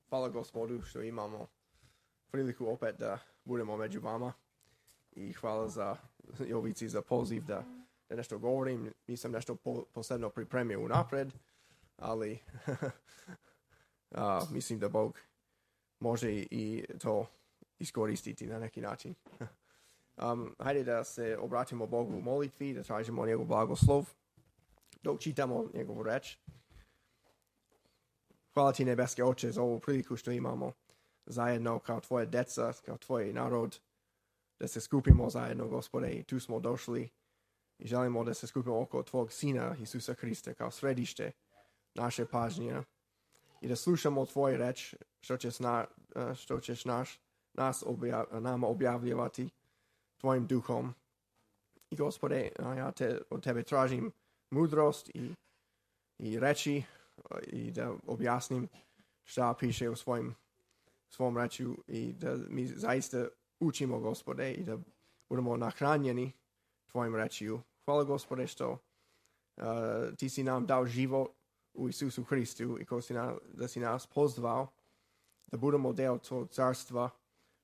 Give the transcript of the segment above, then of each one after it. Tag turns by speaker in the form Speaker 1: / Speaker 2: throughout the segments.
Speaker 1: Hvala Gospodu što imamo priliku opet da budemo među vama i hvala za Jovici za poziv da nešto govorim. Nisam nešto posebno pripremio unapred, ali mislim da Bog može i to iskoristiti na neki način. Hajde da se obratimo Bogu u molitvi, da tražimo njegov blagoslov, dok čitamo njegovu reč. Hvala ti, nebeski Oče, za ovu priliku što imamo zajedno kao tvoje deca, kao tvoj narod, da se skupimo zajedno, Gospode, i tu smo došli i želimo da se skupimo oko tvog Sina, Isusa Hrista, kao središte naše pažnje i da slušamo tvoj reč, što ćeš nama objavljivati tvojim duhom. I Gospode, ja od tebe tražim mudrost i reči i da objasnim šta piše u svom reču i da mi zaista učimo, Gospode, i da budemo nahranjeni tvojim rečiju. Hvala, Gospode, što ti si nam dao život u Isusu Hristu i da si nas pozvao da budemo deo tvojeg carstva,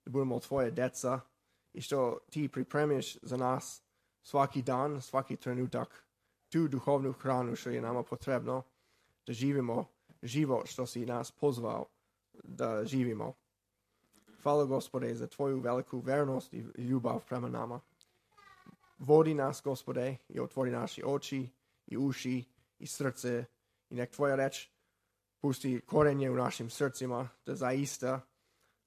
Speaker 1: da budemo tvoje deca i što ti pripremiš za nas svaki dan, svaki trenutak tu duhovnu hranu što je nama potrebno da živimo život što si nas pozvao da živimo. Hvala, Gospode, za tvoju veliku vernost i ljubav prema nama. Vodi nas, Gospode, i otvori naše oči i uši i srce i nek tvoja reč pusti korenje u našim srcima da zaista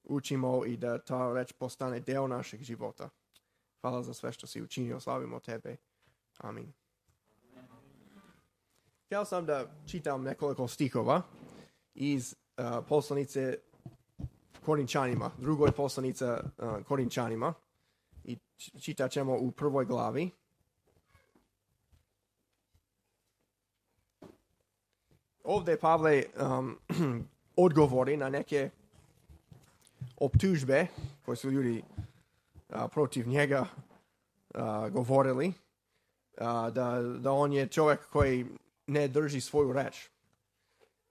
Speaker 1: učimo i da ta reč postane deo našeg života. Hvala za sve što si učinio, slavimo tebe. Amin. Htio sam da čitam nekoliko stihova iz poslanice Korinčanima, drugoj poslanice Korinčanima i čitat ćemo u prvoj glavi. Ovdje Pavle odgovori na neke optužbe koje su ljudi protiv njega govorili, da on je čovjek koji ne drži svoju reč.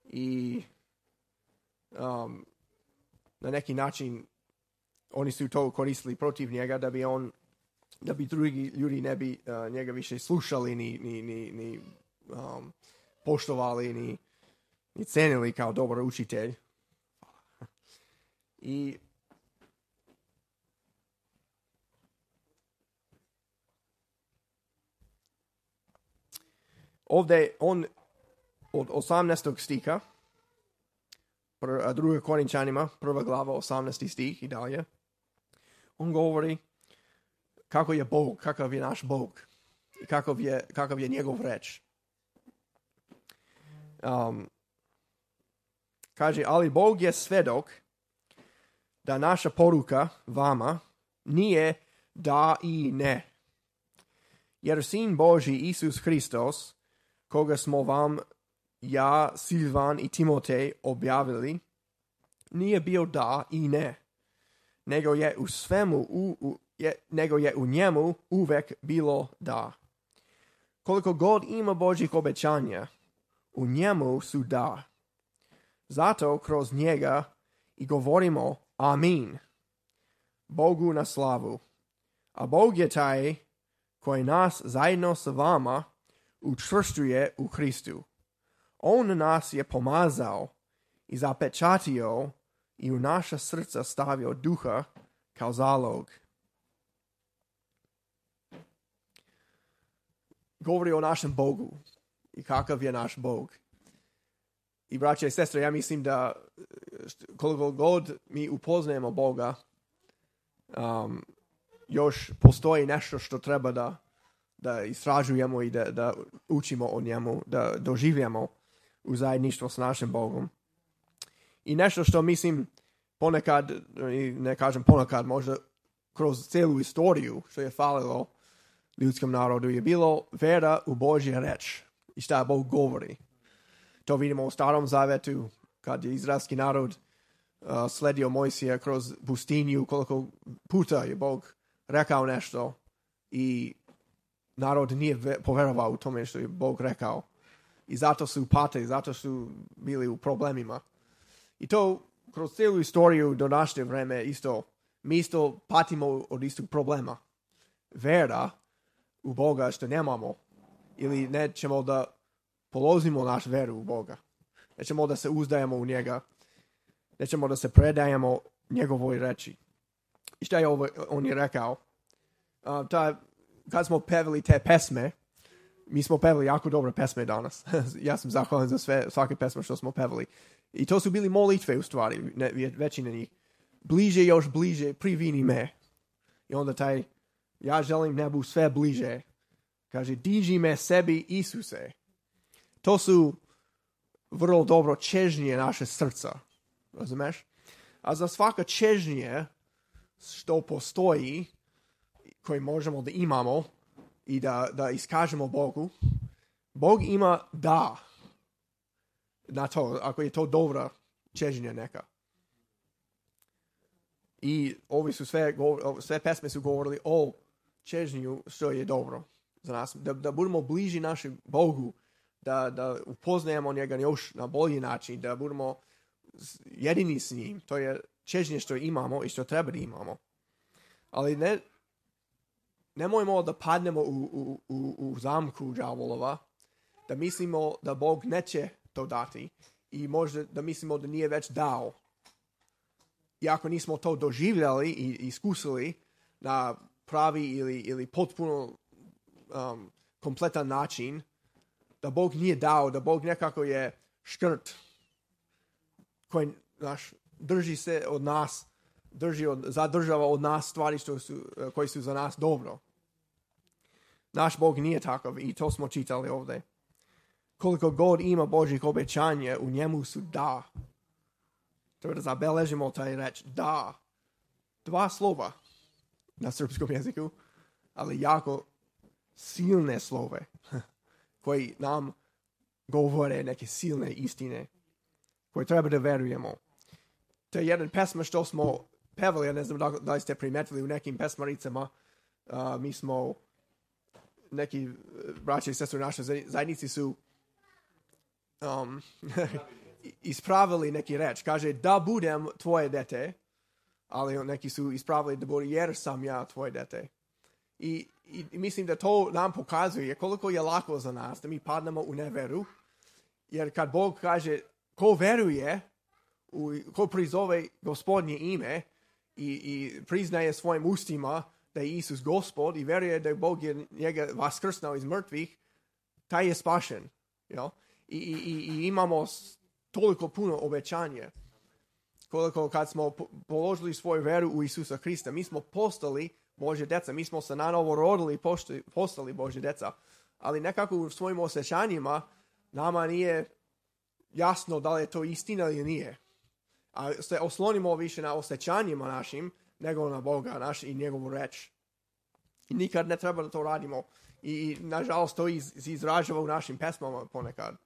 Speaker 1: I na neki način oni su to koristili protiv njega da bi drugi ljudi ne bi njega više slušali ni poštovali ni cenili kao dobar učitelj. I ovdje on od 18. stiha, druga Korinčanima, prva glava, 18. stih i dalje, on govori kako je Bog, kakav je naš Bog i kakav je njegov reč. Kaže, ali Bog je svedok da naša poruka vama nije da i ne. Jer Sin Božji Isus Hristos, koga smo vam ja, Silvan i Timotej objavili, nije bio da i ne, nego je u svemu, nego je u njemu uvek bilo da. Koliko god ima Božjih obećanja, u njemu su da. Zato kroz njega i govorimo amin, Bogu na slavu. A Bog je taj koji nas zajedno sa vama učvršćuje u Hristu. On nas je pomazao i zapečatio i u naša srca stavio duha kao zalog. Govori o našem Bogu i kakav je naš Bog. I braće i sestre, ja mislim da koliko god mi upoznajemo Boga, još postoji nešto što treba da istražujemo i da učimo o njemu, da doživljamo u zajedništvo s našim Bogom. I nešto što mislim ponekad, ne kažem ponekad, možda kroz celu istoriju što je falilo ljudskom narodu je bilo vera u Božju reč i šta Bog govori. To vidimo u Starom Zavetu kad je izraelski narod sledio Mojsija kroz pustinju, koliko puta je Bog rekao nešto i narod nije poverovao u tome što je Bog rekao. I zato su patili, zato su bili u problemima. I to kroz cijelu istoriju do naše vreme mi isto patimo od istog problema. Vera u Boga što nemamo ili nećemo da polozimo naš veru u Boga. Nećemo da se uzdajemo u njega. Nećemo da se predajemo njegovoj reči. I šta je on je rekao? Kad smo pevali te pesme, mi smo pevali jako dobre pesme danas. Ja sam zahvalan za svake pesme što smo pevali. I to su bili molitve u stvari, većina njih. Bliže, još bliže, privini me. I onda ja želim nebu sve bliže. Kaže, diži me sebi Isuse. To su vrlo dobro čežnje naše srca. Razumeš? A za svaka čežnje što postoji, koje možemo da imamo i da iskažemo Bogu, Bog ima da na to, ako je to dobra čežnja neka. I ovi su sve pesme su govorili o čežnju što je dobro za nas. Da budemo bliži našem Bogu, da upoznajemo njega još na bolji način, da budemo jedini s njim. To je čežnje što imamo i što treba da imamo. Ali nemojmo da padnemo u zamku đavolova, da mislimo da Bog neće to dati i možda da mislimo da nije već dao. Iako nismo to doživljali i iskusili na pravi ili potpuno kompletan način, da Bog nije dao, da Bog nekako je škrt koji drži se od nas, zadržava od nas stvari koji su za nas dobro. Naš Bog nije takav i to smo čitali ovdje. Koliko god ima Božjih obećanja, u njemu su da. Treba da zabeležimo taj reč da. 2 slova na srpskom jeziku, ali jako silne slove koji nam govore neke silne istine koje treba da verujemo. To je jedan pesma što smo pevali, ja ne znam da li ste primetili u nekim pesmaricama, mi smo neki braće i sestre naše zajednici su ispravili neki reč. Kaže da budem tvoje dete, ali neki su ispravili da bude jer sam ja tvoje dete. I mislim da to nam pokazuje koliko je lako za nas da mi padnemo u neveru, jer kad Bog kaže ko veruje, ko prizove Gospodnje ime i priznaje svojim ustima da je Isus Gospod i veruje da je Bog njega vaskrsnao iz mrtvih, taj je spašen. I imamo toliko puno obećanja. Koliko kad smo položili svoju veru u Isusa Hrista, mi smo postali Božje deca, mi smo se nanovo rodili i postali Božje deca. Ali nekako u svojim osjećanjima nama nije jasno da li je to istina ili nije. A se oslonimo više na osjećanjima našim nego na Boga i njegovu reč. I nikad ne treba da to radimo. I nažalost to izražava u našim pesmama ponekad.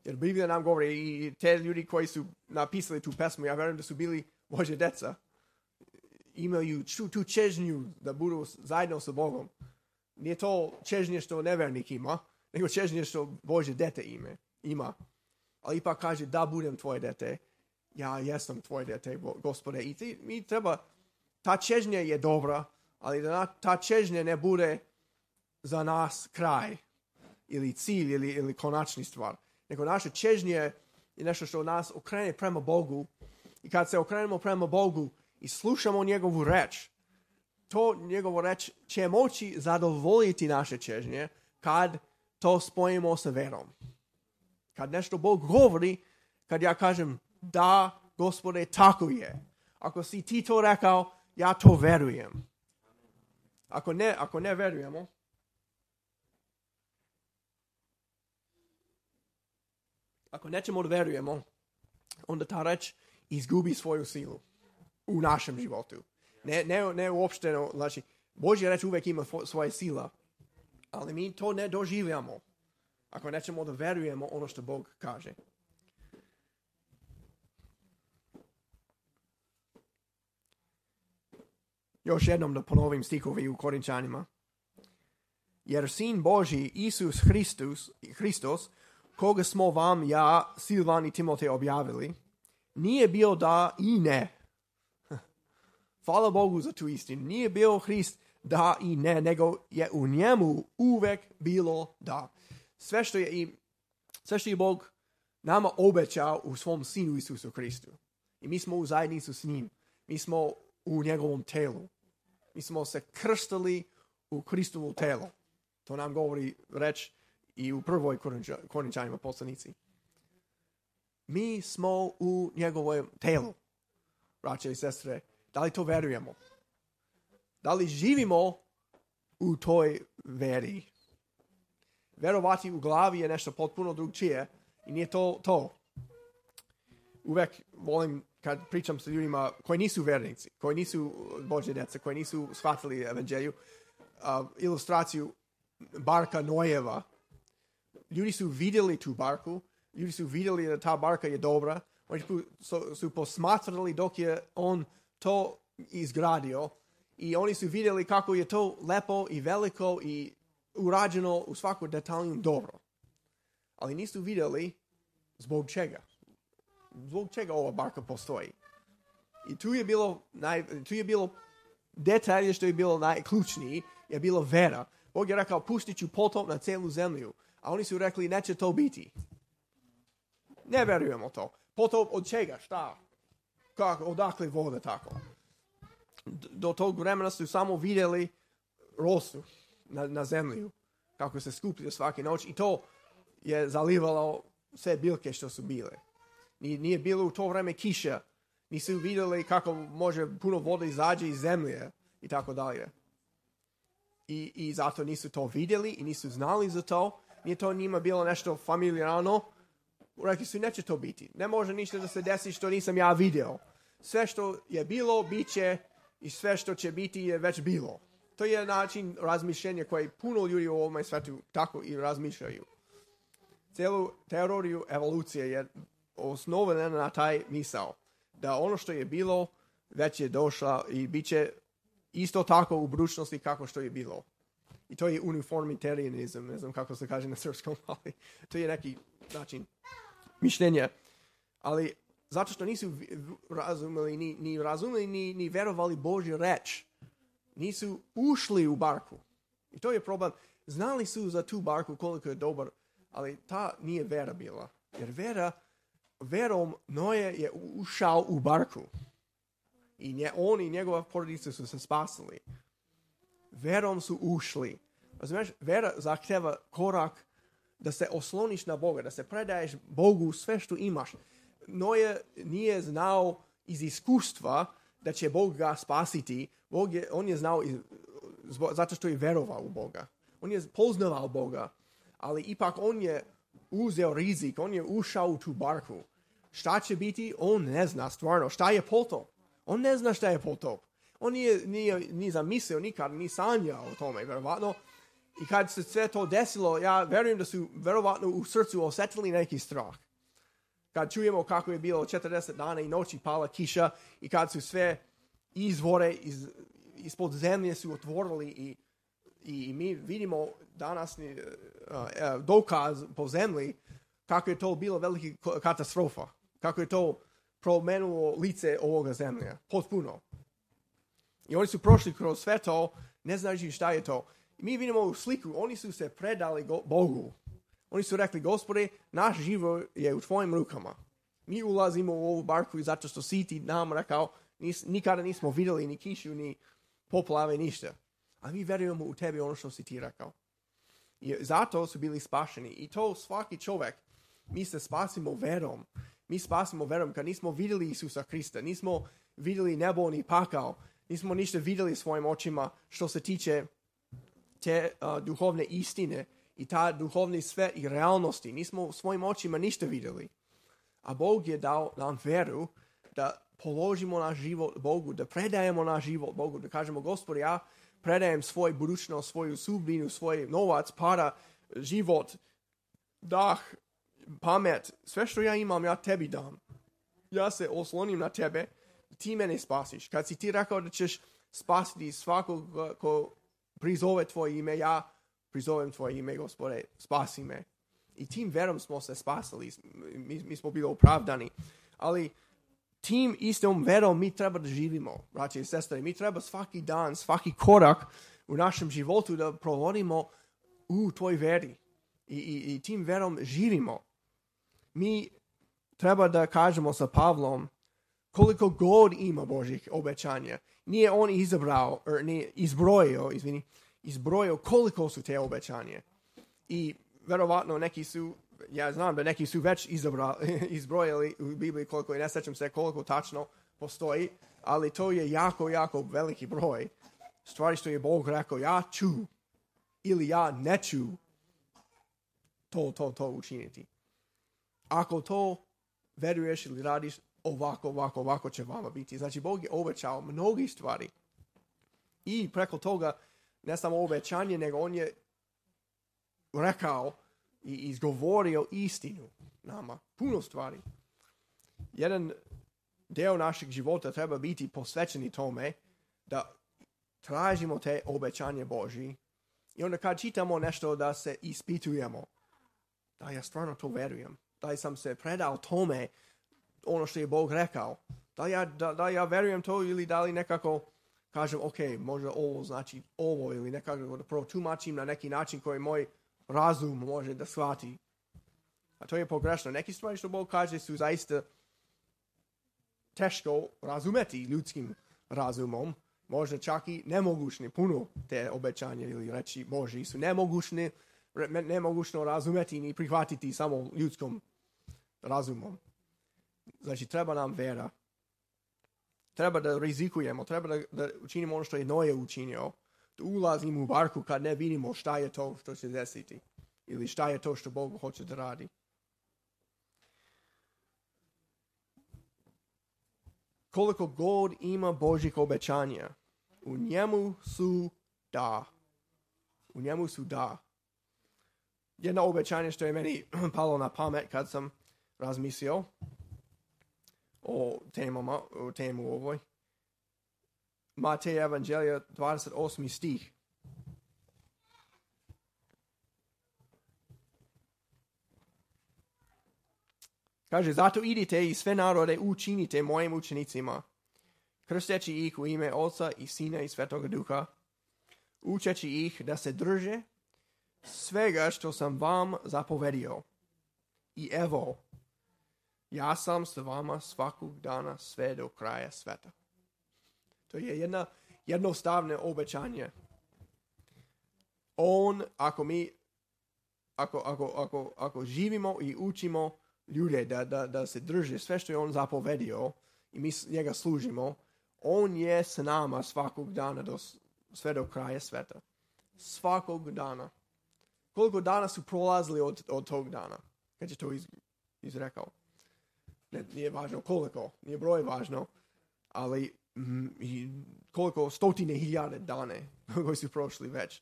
Speaker 1: Jer Biblija nam govori i te ljudi koji su napisali tu pesmu, ja vjerujem da su bili Božje deca. Imaju tu čežnju da budu zajedno sa Bogom. Nije to čežnje što nevernik ima, nego čežnje što Božje dete ima. Ali ipak kaže da budem tvoje dete. Ja jesam tvoje dete, Gospode. I mi treba, ta čežnja je dobra, ali da ta čežnja ne bude za nas kraj ili cilj ili konačni stvar. Nego naša čežnja je nešto što nas okrene prema Bogu. I kad se okrenemo prema Bogu i slušamo njegovu reč, to njegovu reč će moći zadovoljiti naše čežnje kad to spojimo sa verom. Kad nešto Bog govori, kad ja kažem da, Gospode, tako je. Ako si ti to rekao, ja to verujem. Ako ne verujemo, ako nećemo da verujemo, onda ta reč izgubi svoju silu u našem životu. Ne uopšteno, znači, Božja reč uvijek ima svoje sila, ali mi to ne doživljamo ako nećemo da verujemo ono što Bog kaže. Još jednom da ponovim stihovi u Korinčanima. Jer Sin Božji, Isus Hristos, koga smo vam, ja, Silvan i Timotej objavili, nije bio da i ne. Hvala Bogu za tu istinu. Nije bio Hrist da i ne, nego je u njemu uvek bilo da. Sve što je Bog nama obećao u svom Sinu Isusu Hristu. I mi smo u zajednicu s njim. Mi smo u njegovom telu. Mi smo se krstili u Hristovu telo. To nam govori reč i u prvoj Korinčanima poslanici. Mi smo u njegovom telu. Braće i sestre, da li to verujemo? Da li živimo u toj veri? Verovati u glavi je nešto potpuno drugčije i nije to. Uvek volim kad pričam sa ljudima koji nisu vernici, koji nisu Božje djeca, koji nisu shvatili evanđelju, ilustraciju barka Nojeva. Ljudi su vidjeli tu barku, ljudi su vidjeli da ta barka je dobra, oni su posmatrali dok je on to izgradio i oni su vidjeli kako je to lepo i veliko i urađeno u svaku detalju dobro. Ali nisu vidjeli zbog čega. Zbog čega ova barka postoji. I tu je bilo detalje što je bilo najključniji, je bilo vera. Bog je rekao, pustit ću potop na cijelu zemlju. A oni su rekli, neće to biti. Ne verujemo to. Potop od čega? Šta? Kako? Odakle voda tako? Do tog vremena su samo vidjeli rosu na zemlju. Kako se skupljaju svake noć. I to je zalivalo sve biljke što su bile. Nije bilo u to vreme kiša. Nisu vidjeli kako može puno vode izađe iz zemlje i tako dalje. I zato nisu to vidjeli i nisu znali za to. Nije to njima bilo nešto familijarno. Rekli su, neće to biti. Ne može ništa da se desi što nisam ja vidio. Sve što je bilo, bit će i sve što će biti je već bilo. To je način razmišljenja koji puno ljudi u ovome svetu tako i razmišljaju. Cijelu teoriju evolucije je osnovana na taj misao. Da ono što je bilo već je došlo i bit će isto tako u budućnosti kako što je bilo. I to je uniformitarianizam, ne znam kako se kaže na srpskom, ali to je neki način mišljenja. Ali zato što nisu razumeli ni verovali Božju reč, nisu ušli u barku. I to je problem. Znali su za tu barku koliko je dobar, ali ta nije vera bila. Jer verom Noje je ušao u barku. I on i njegova porodica su se spasili. Verom su ušli. Razumiješ, vera zahteva korak da se osloniš na Boga, da se predaješ Bogu sve što imaš. Noje nije znao iz iskustva da će Bog ga spasiti. On je znao zato što je verovao u Boga. On je poznavao Boga, ali ipak on je uzeo rizik, on je ušao u tu barku. Šta će biti? On ne zna stvarno. Šta je potop? On ne zna šta je potop. On nije zamislio nikad, ni sanjao o tome, verovatno. I kad se sve to desilo, ja verujem da su verovatno u srcu osjetili neki strah. Kad čujemo kako je bilo 40 dana i noći pala kiša i kad su sve izvore ispod zemlje su otvorili i mi vidimo danas dokaz po zemlji kako je to bilo velika katastrofa. Kako je to promenulo lice ovoga zemlje. Potpuno. I oni su prošli kroz sve to, ne znajući šta je to. I mi vidimo u sliku, oni su se predali Bogu. Oni su rekli, Gospode, naš život je u tvojim rukama. Mi ulazimo u ovu barku i zato što si ti nam rekao, nikada nismo vidjeli ni kišu, ni poplave, ništa. A mi verujemo u tebi ono što si ti rekao. I zato su bili spašeni. I to svaki čovjek, mi se spasimo verom. Mi spasimo verom kad nismo vidjeli Isusa Krista, nismo vidjeli nebo ni pakao, nismo ništa vidjeli svojim očima što se tiče te duhovne istine i ta duhovni sve i realnosti. Nismo svojim očima ništa vidjeli. A Bog je dao nam veru da položimo naš život Bogu, da predajemo naš život Bogu, da kažemo, Gospode, ja predajem svoj budućnost, svoju sudbinu, svoj novac, para, život, dah, pamet, sve što ja imam, ja tebi dam. Ja se oslonim na tebe, ti mene spasiš. Kad si ti rekao da ćeš spasiti svakog ko prizove tvoje ime, ja prizovem tvoje ime, Gospode, spasi me. I tim verom smo se spasili, mi smo bili opravdani. Ali tim istom verom mi treba da živimo, braće i sestre. Mi treba svaki dan, svaki korak u našem životu da provodimo u toj veri. I tim verom živimo. Mi treba da kažemo sa Pavlom koliko god ima Božih obećanja. Nije on izbrojio koliko su te obećanje. I verovatno neki su, ja znam da neki su već izbrojili u Bibliji koliko, i ne sećam se koliko tačno postoji, ali to je jako, jako veliki broj stvari što je Bog rekao, ja ću ili ja neću to učiniti. Ako to veruješ ili radiš, ovako će vama biti. Znači, Bog je obećao mnogi stvari. I preko toga, ne samo obećanje, nego on je rekao i izgovorio istinu nama. Puno stvari. Jedan deo našeg života treba biti posvećeni tome da tražimo te obećanje Božji. I onda kad čitamo nešto da se ispitujemo. Da ja stvarno to verujem. Da sam se predao tome ono što je Bog rekao. Da ja verujem to ili da li nekako kažem, ok, možda ovo znači ovo ili nekako da protumačim na neki način koji moj razum može da shvati. A to je pogrešno. Neki stvari što Bog kaže su zaista teško razumeti ljudskim razumom. Možda čak i nemogućni. Puno te obećanja ili reči Božji su nemogućno razumeti ni prihvatiti samo ljudskom razumom. Znači, treba nam vera. Treba da rizikujemo, treba da učinimo ono što je Noe učinio. Da ulazimo u barku kad ne vidimo šta je to što će desiti. Ili šta je to što Bog hoće da radi. Koliko god ima Božjih obećanja, u njemu su da. U njemu su da. Jedno obećanje što je meni palo na pamet kad sam razmislio o temu ovoj. Matej Evanđelja 28. stih. Kaže, zato idite i sve narode učinite mojim učenicima, krsteći ih u ime Oca i Sina i Svetoga Duha, učeći ih da se drže svega što sam vam zapovedio. I evo, ja sam s vama svakog dana sve do kraja sveta. To je jednostavno obećanje. On, ako živimo i učimo ljude da se drže sve što je on zapovedio i mi njega služimo, on je s nama svakog dana sve do kraja sveta. Svakog dana. Koliko dana su prolazili od tog dana kad je to izrekao? Nije važno koliko, nije broj važno, ali koliko stotine hiljade dane koji su prošli već.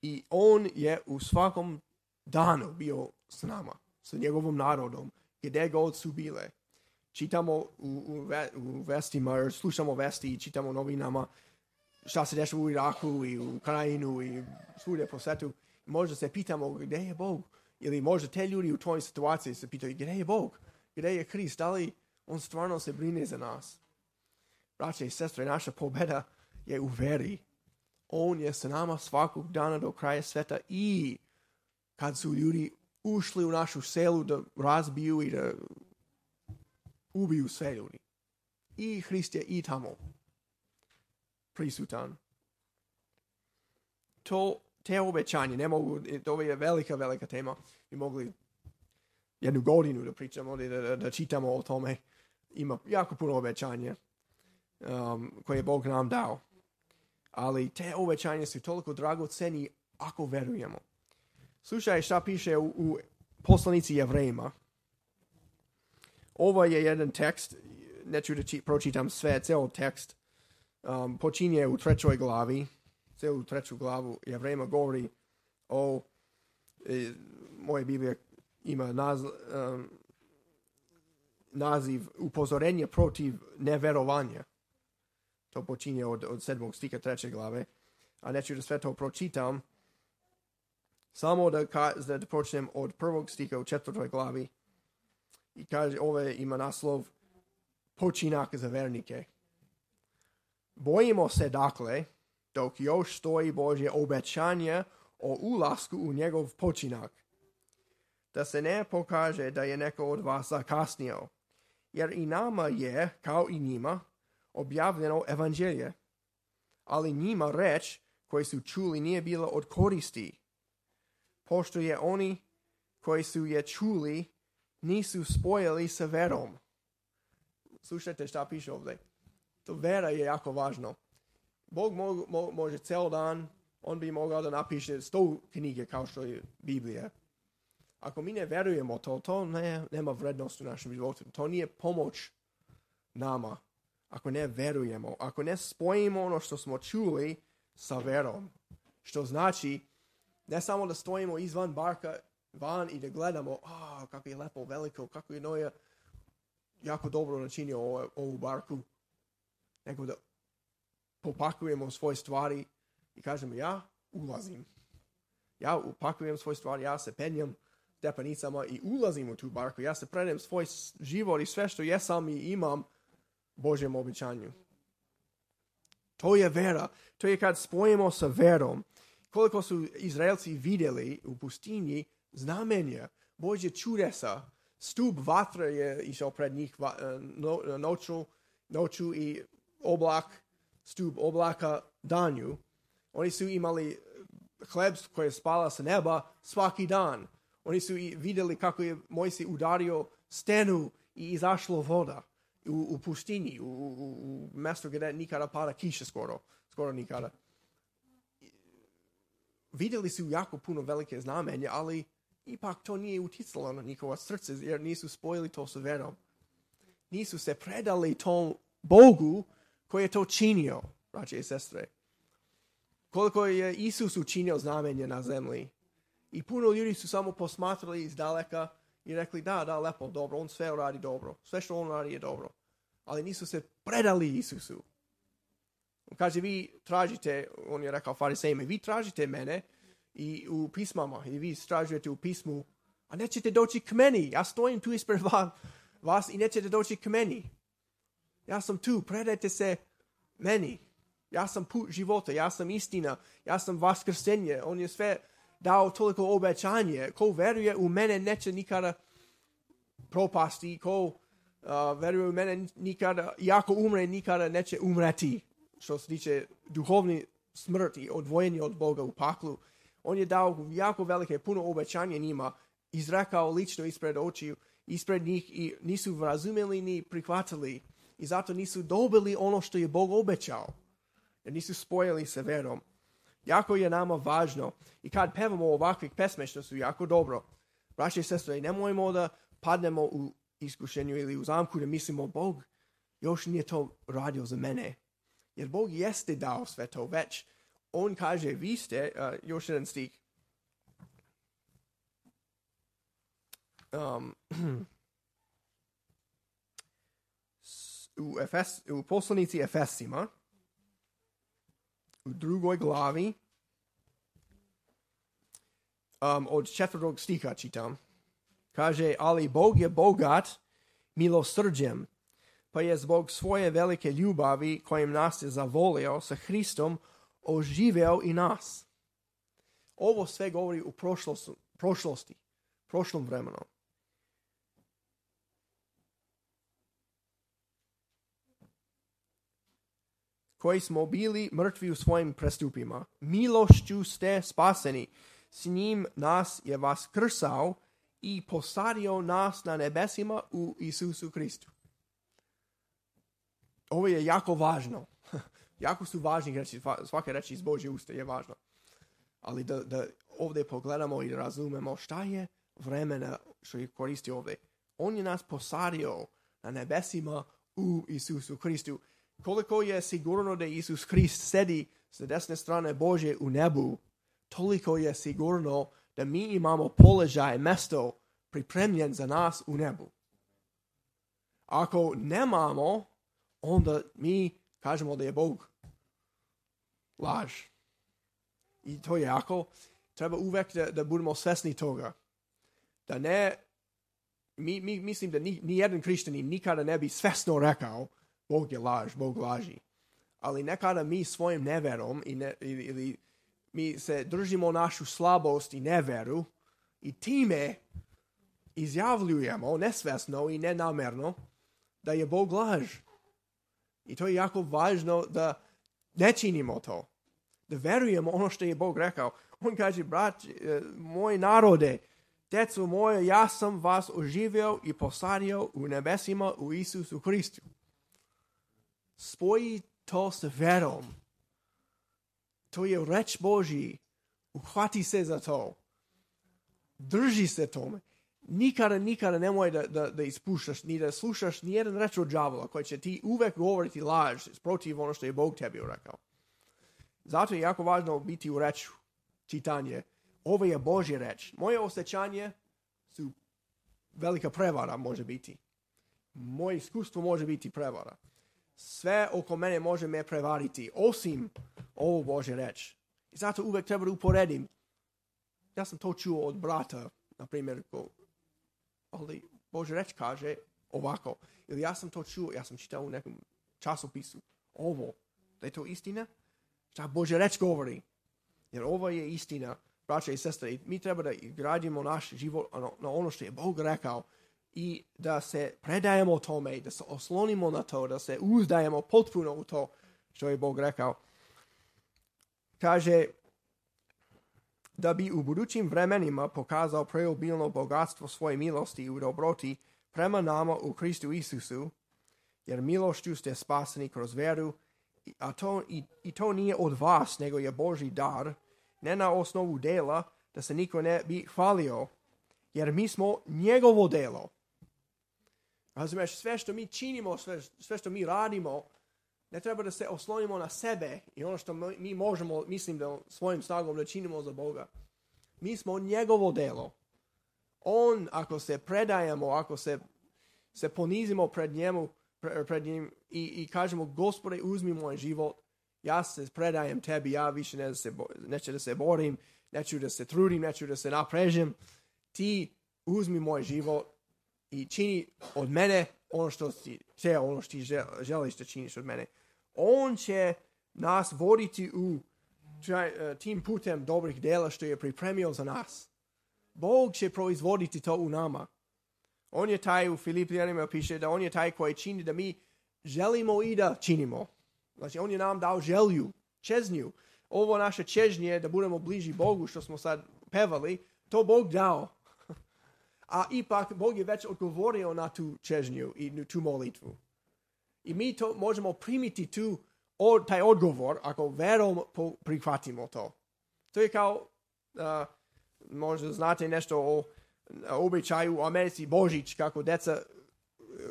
Speaker 1: I on je u svakom danu bio s nama, s njegovom narodom, gdje god su bile. Čitamo u vestima, jer slušamo vesti i čitamo novinama šta se dešava u Iraku i u Ukrajinu i svugdje po svijetu. Možda se pitamo gdje je Bog. Ili možda te ljudi u tvojoj situaciji se pitaju gdje je Bog, gdje je Krist, da li on stvarno se brine za nas. Braće i sestre, naša pobjeda je u veri. On je sa nama svakog dana do kraja sveta i kad su ljudi ušli u našu selu da razbiju i da ubiju sve ljudi. I Hrist je i tamo prisutan. Te obećanje, ne mogu, to je velika tema. Mi mogli jednu godinu da pričamo, da čitamo o tome. Ima jako puno obećanja koje je Bog nam dao. Ali te obećanje su toliko dragoceni ako verujemo. Slušaj šta piše u poslanici Jevrejima. Ovo je jedan tekst, neću da pročitam sve, ceo tekst. Počinje u 3. glavi. Celu 3. glavu Jevrejima govori o, moja Biblija ima naziv upozorenje protiv neverovanja. To počinje od 7. stiha 3. glave. A neću da sve to pročitam. Samo da počnem od 1. stiha u 4. glavi. I kaže, ove ima naslov Počinak za vernike. Bojimo se dakle, dok još stoji Božje obećanje o ulasku u njegov počinak, da se ne pokaže da je neko od vas zakasnio, jer i nama je, kao i njima, objavljeno evanđelje, ali njima reč koji su čuli nije bila od koristi, pošto je oni koji su je čuli nisu spojili sa verom. Slušajte šta piše ovdje. To vera je jako važno. Bog može ceo dan, on bi mogao da napiše 100 knjige kao što je Biblija. Ako mi ne verujemo to nema vrednost u našem životu. To nije pomoć nama. Ako ne verujemo, ako ne spojimo ono što smo čuli sa verom, što znači ne samo da stojimo izvan barka van i da gledamo, kako je lepo, veliko, kako je Noja jako dobro načinio ovu barku, nego da popakujemo svoje stvari i kažemo, ja ulazim. Ja upakujem svoje stvari, ja se penjem stepenicama i ulazim u tu barku. Ja se predajem svoj život i sve što jesam i imam Božjem obećanju. To je vera. To je kad spojimo sa verom. Koliko su Izraelci vidjeli u pustinji znamenja, Božje čudesa. Stup vatre je išao pred njih noću i oblak, stup oblaka danju. Oni su imali hleb koji je spala sa neba svaki dan. Oni su vidjeli kako je Mojsije udario stenu i izašlo voda u pustinji, u mjestu gdje nikada pada kiša skoro nikada. Vidjeli su jako puno velike znamenja, ali ipak to nije uticalo na njihova srce, jer nisu spojili to sa verom. Nisu se predali tom Bogu koji je to činio, braće i sestre. Koliko je Isus učinio znamenja na zemlji. I puno ljudi su samo posmatrali iz daleka i rekli, da, lepo, dobro, on sve radi dobro. Sve što on radi je dobro. Ali nisu se predali Isusu. On kaže, vi tražite, on je rekao farisejima, vi tražite mene i u pismama i vi istražujete u pismu, a nećete doći k meni. Ja stojim tu ispred vas i nećete doći k meni. Ja sam tu, predajte se meni. Ja sam put života, ja sam istina, ja sam vaskrsenje. On je sve dao toliko obećanje. Ko veruje u mene neće nikada propasti. Ko veruje u mene nikada, i ako umre, nikada neće umreti. Što se tiče duhovni smrti, odvojenje od Boga u paklu. On je dao jako velike, puno obećanja njima, izrekao lično ispred očiju, ispred njih i nisu razumjeli ni prihvatili. I zato nisu dobili ono što je Bog obećao. Jer nisu spojili sa verom. Jako je nama važno. I kad pevamo ovakvih pesme što su jako dobro, braće i sestre, nemojmo da padnemo u iskušenju ili u zamku da mislimo Bog još nije to radio za mene. Jer Bog jeste dao sve to već. On kaže, vi ste, još jedan stih. U poslanici Efesima, u 2. glavi, od 4. stiha čitam. Kaže, ali Bog je bogat milosrđem, pa je zbog svoje velike ljubavi kojim nas je zavolio sa Hristom oživeo i nas. Ovo sve govori u prošlosti, prošlom vremenu. Koji smo bili mrtvi u svojim prestupima. Milošću ste spaseni. S njim nas je vaskrsao i posadio nas na nebesima u Isusu Kristu. Ovo je jako važno. Jako su važni reči, svake reči iz Božje usta je važno. Ali da ovdje pogledamo i da razumemo šta je vremena što je koristi ovdje. On je nas posadio na nebesima u Isusu Kristu. Koliko je sigurno da Isus Krist sedi sa desne strane Božje u nebu, toliko je sigurno da mi imamo položaj, mesto pripremljen za nas u nebu. Ako nemamo, onda mi kažemo da je Bog laž. I to je jako. Treba uvek da budemo svesni toga. Da ne mislim da ni jedan hrišćanin nikada ne bi svesno rekao Bog je laž, Bog laži. Ali nekada mi svojim neverom ili mi se držimo našu slabost i neveru i time izjavljujemo nesvesno i nenamerno da je Bog laž. I to je jako važno da ne činimo to. Da verujemo ono što je Bog rekao. On kaže, brat, moj narode, deco moje, ja sam vas oživio i posadio u nebesima u Isusu Hristu. Spoji to s verom. To je reč Božji. Uhvati se za to. Drži se tome. Nikada nemoj da ispuštaš, ni da slušaš ni jedan reč od đavola koji će ti uvek govoriti laž protiv ono što je Bog tebi rekao. Zato je jako važno biti u reču, čitanje. Ovo je Božja reč. Moje osjećanje su velika prevara može biti. Moje iskustvo može biti prevara. Sve oko mene može me prevariti, osim ovo Božja reč. I zato uvek treba da uporedim. Ja sam to čuo od brata, na primjer, ali Božja reč kaže ovako. Ili ja sam to čuo, ja sam čitao u nekom časopisu. Ovo, da je to istina? Šta Božja reč govori? Jer ovo je istina, braća i sestre. I mi treba da gradimo naš život na ono što je Bog rekao i da se predajemo tome, da se oslonimo na to, da se uzdajemo potpuno u to što je Bog rekao. Kaže, da bi u budućim vremenima pokazao preobilno bogatstvo svoje milosti u dobroti prema nama u Kristu Isusu, jer milošću ste spaseni kroz veru, i to nije od vas, nego je Božji dar, ne na osnovu dela, da se niko ne bi hvalio, jer mi smo njegovo delo. Razumiješ, sve što mi činimo, sve što mi radimo, ne treba da se oslonimo na sebe i ono što mi možemo, mislim da svojim snagom da činimo za Boga. Mi smo njegovo delo. On, ako se predajemo, ako se ponizimo pred njim i kažemo, Gospode, uzmi moj život, ja se predajem tebi, ja više neću da se borim, neću da se trudim, neću da se naprežem. Ti uzmi moj život i čini od mene ono što ti želiš da činiš od mene. On će nas voditi u tim putem dobrih dela što je pripremio za nas. Bog će proizvoditi to u nama. On je taj, u Filipljanima piše da on je taj koji čini da mi želimo i da činimo. Znači, on je nam dao želju, čežnju. Ovo naše čežnje da budemo bliži Bogu, što smo sad pevali, to Bog dao. A ipak, Bog je već odgovorio na tu čežnju i tu molitvu. I mi to možemo primiti taj odgovor ako verom prihvatimo to. To je kao, možda znate nešto o običaju u Americi Božić, kako deca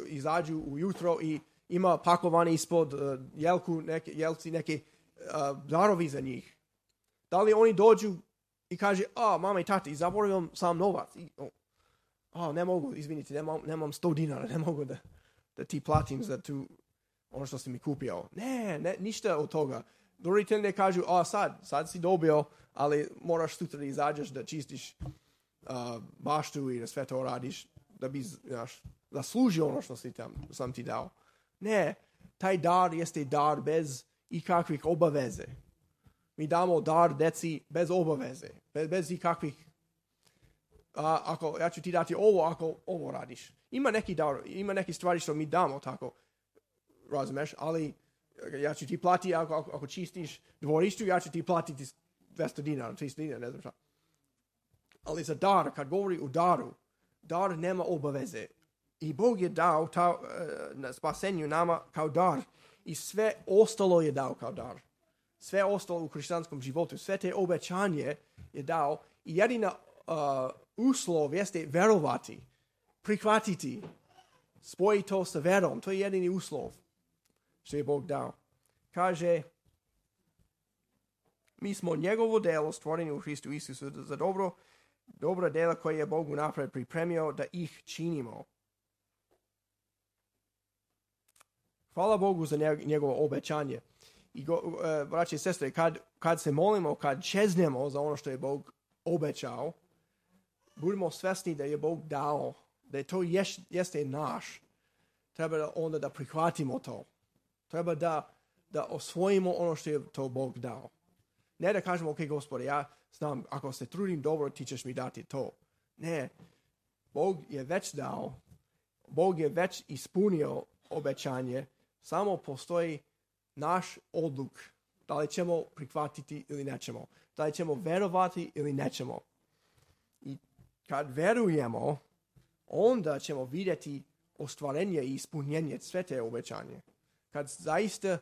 Speaker 1: izađu ujutro i ima pakovani ispod jelci neke darovi za njih. Da li oni dođu i kaže, mama i tati, zaboravio sam novac. Ne mogu, izvinite, nemam 100 dinara, ne mogu da ti platim za ono što si mi kupio. Ne, ništa od toga. Roditelji ne kažu, sad si dobio, ali moraš sutra da izađeš da čistiš baštu i da sve to radiš, da bi zaslužio ono što sam ti dao. Ne, taj dar jeste dar bez ikakvih obaveze. Mi damo dar deci bez obaveze, bez ikakvih ako ja ću ti dati ovo, ako ovo radiš. Ima neki stvari što mi damo tako, razumeš, ali ja ću ti platiti ako čistiš dvorištu, ja ću ti platiti 200 dinara, 300 dinara, ne znam šta. Ali za dar, kad govori o daru, dar nema obaveze. I Bog je dao na spasenju nama kao dar. I sve ostalo je dao kao dar. Sve ostalo u hrišćanskom životu, sve te obećanje je dao. I jedina uslov jeste verovati, prihvatiti, spojiti to sa verom. To je jedini uslov što je Bog dao. Kaže, mi smo njegovo delo stvoreni u Hristu Isusu za dobra dela koje je Bog unapred pripremio da ih činimo. Hvala Bogu za njegovo obećanje. I braći i sestre, kad se molimo, kad čeznemo za ono što je Bog obećao, budemo svesni da je Bog dao da to jeste naš, treba onda da prihvatimo to. Treba da osvojimo ono što je to Bog dao. Ne da kažemo, ok, Gospode, ja znam, ako se trudim dobro, ti ćeš mi dati to. Ne, Bog je već dao, Bog je već ispunio obećanje, samo postoji naš odluk, da li ćemo prihvatiti ili nećemo, da li ćemo verovati ili nećemo. I kad verujemo, onda ćemo vidjeti ostvarenje i ispunjenje sve te obećanje. Kad zaista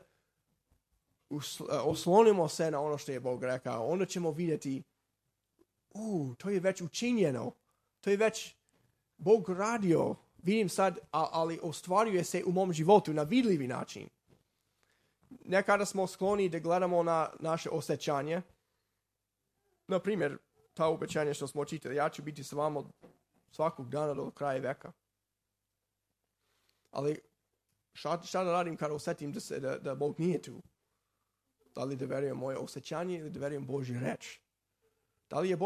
Speaker 1: oslonimo se na ono što je Bog rekao, onda ćemo vidjeti, to je već učinjeno, to je već Bog radio, vidim sad, ali ostvaruje se u mom životu na vidljivi način. Nekada smo skloni da gledamo na naše osjećanje. Na primjer, ta obećanja što smo čitali, ja ću biti s vama svakog dana do kraja veka. Ali šta da radim kada osjetim da Bog nije tu? Da li da verujem moje osjećanje ili da verujem Božju reč? Da li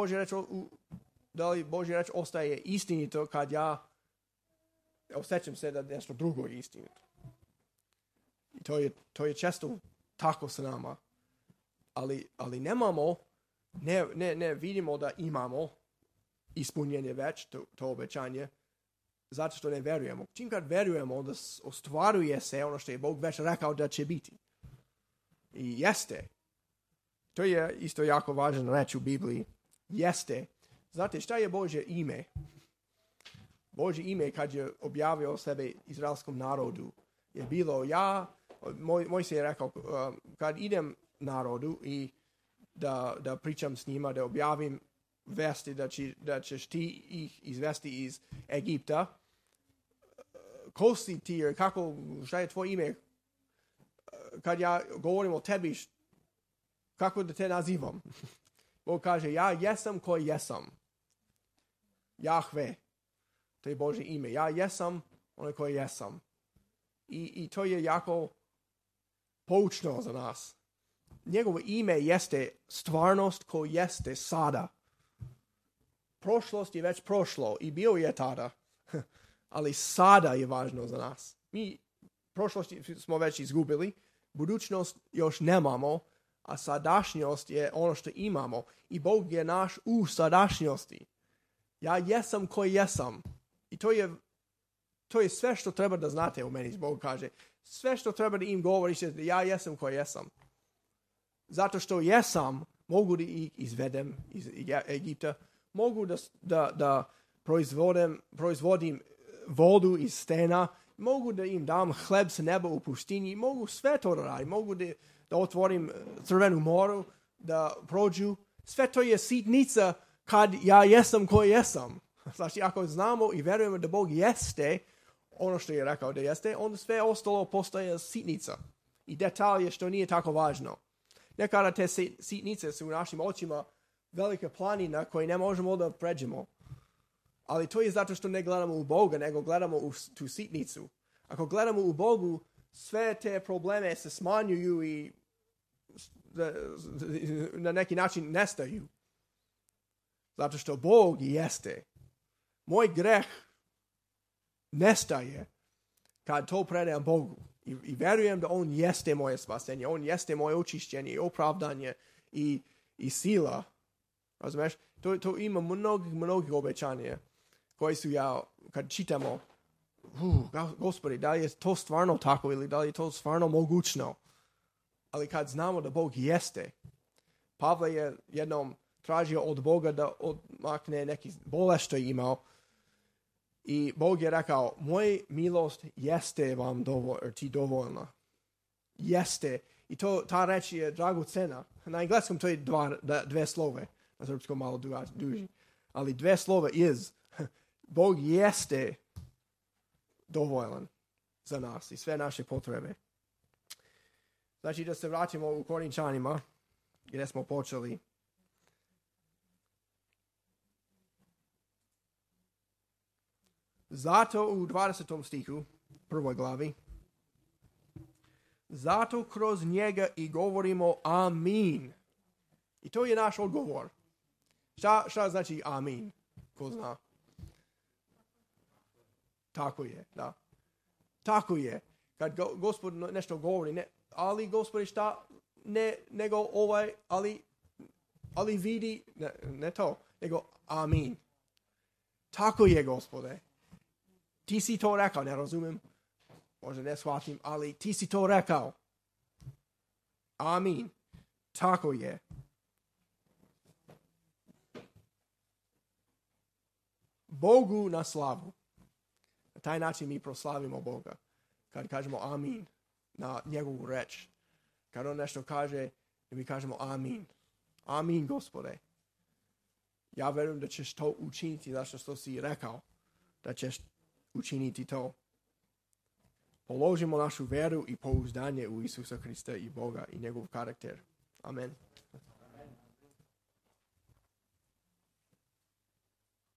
Speaker 1: Božja reč ostaje istinito kad ja osjećam se da nešto drugo je istinito? I to je često tako sa nama. Ali nemamo, ne vidimo da imamo ispunjenje već, to obećanje, zato što ne verujemo. Čim kad verujemo, onda ostvaruje se ono što je Bog već rekao da će biti. I jeste. To je isto jako važan reč u Bibliji. Jeste. Znate šta je Božje ime? Božje ime kad je objavio sebe izraelskom narodu je bilo moj se je rekao kad idem narodu i da pričam s njima, da objavim vesti da ćeš ti ih izvesti iz Egipta. Ko si ti, šta je tvoje ime? Kad ja govorim o tebi, kako da te nazivam? Bog kaže, ja jesam koji jesam. Jahve. To je Božje ime. Ja jesam onaj koji jesam. I to je jako poučno za nas. Njegovo ime jeste stvarnost ko jeste sada. Prošlost je već prošlo i bio je tada. Ali sada je važno za nas. Mi prošlost smo već izgubili, budućnost još nemamo, a sadašnjost je ono što imamo. I Bog je naš u sadašnjosti. Ja jesam koji jesam. I to je sve što treba da znate o meni, Bog kaže. Sve što treba da im govoriš je da ja jesam koji jesam. Zato što jesam, mogu da ih izvedem iz Egipta, mogu da proizvodim vodu iz stena, mogu da im dam hleb sa neba u pustinji, mogu sve to da radim, mogu da otvorim crvenu moru, da prođu. Sve to je sitnica kad ja jesam koji jesam. Znači, ako znamo i verujemo da Bog jeste ono što je rekao da jeste, onda sve ostalo postaje sitnica i detalje što nije tako važno. Nekada te sitnice su u našim očima velika planina koje ne možemo da pređemo. Ali to je zato što ne gledamo u Boga, nego gledamo u tu sitnicu. Ako gledamo u Bogu, sve te probleme se smanjuju i na neki način nestaju. Zato što Bog jeste. Moj greh nestaje kad to predajem Bogu. I verujem da On jeste moje spasenje, On jeste moje očišćenje i opravdanje i sila. Razumeš? To ima mnogih obećanja koji su kad čitamo, Gospodи, da li je to stvarno tako ili da li je to stvarno mogućno? Ali kad znamo da Bog jeste, Pavle je jednom tražio od Boga da odmakne neki bolest što je imao i Bog je rekao, moj milost jeste vam dovoljna. Jeste. I ta reč je dragocena. Na engleskom to je dve slove. Na srpskom malo duži. Ali dve slova is. Bog jeste dovoljan za nas i sve naše potrebe. Znači da se vratimo u Korinčanima gdje smo počeli. Zato u 20. stihu, prvoj glavi, zato kroz njega i govorimo amin. I to je naš odgovor. Šta znači amin? Ko zna? Tako je, da. Tako je. Kad Gospod nešto govori, ne, ali Gospode šta, ne, nego ali vidi, ne to, nego amin. Tako je, Gospode. Ti si to rekao, ne razumijem, možda ne shvatim, ali ti si to rekao. Amin. Tako je. Bogu na slavu. Na taj način mi proslavimo Boga. Kad kažemo amin na njegovu reč. Kad on nešto kaže, mi kažemo amin. Amin, Gospode. Ja verujem da ćeš to učiniti, zašto što si rekao, da ćeš učiniti to. Položimo našu veru i pouzdanje u Isusa Hrista i Boga i njegov karakter. Amen.